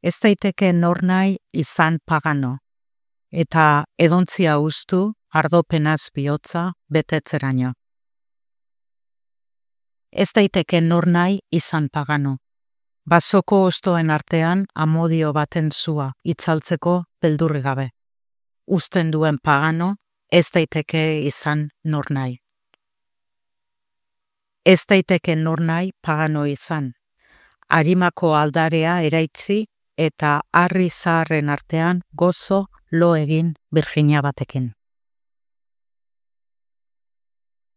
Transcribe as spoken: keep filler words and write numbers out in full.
Ez daiteke nornahi izan pagano, eta edontzia ustu ardopenaz bihotza betetzeraino. Ez daiteke nornahi izan pagano, basoko ostoen artean amodio baten zua itzaltzeko beldurri gabe. Uzten duen pagano, ez daiteke izan nornahi. Ez daiteke nornahi pagano izan, harimako aldarea eraitzi eta harri zaharren artean gozo lo egin Virginia batekin.